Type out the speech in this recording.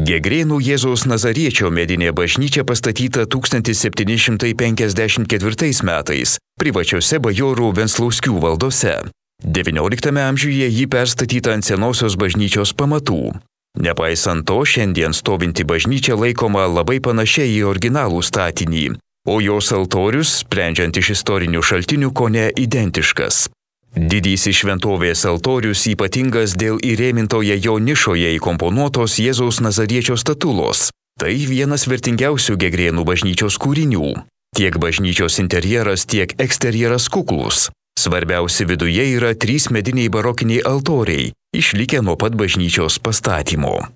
Gegrėnų Jėzaus Nazariečio medinė bažnyčia pastatyta 1754 metais privačiose bajorų Venclauskių valdose. XIX amžiuje ji perstatyta ant senosios bažnyčios pamatų. Nepaisant to, šiandien stovinti bažnyčia laikoma labai panašia į originalų statinį, o jos altorius, sprendžiant iš istorinių šaltinių, kone identiškas. Didysis šventovės altorius ypatingas dėl įrėmintoje jo nišoje įkomponuotos Jėzaus Nazariečio statulos. Tai vienas vertingiausių Gegrėnų bažnyčios kūrinių. Tiek bažnyčios interjeras, tiek eksterjeras kuklus. Svarbiausi viduje yra 3 mediniai barokiniai altoriai, išlikę nuo pat bažnyčios pastatymo.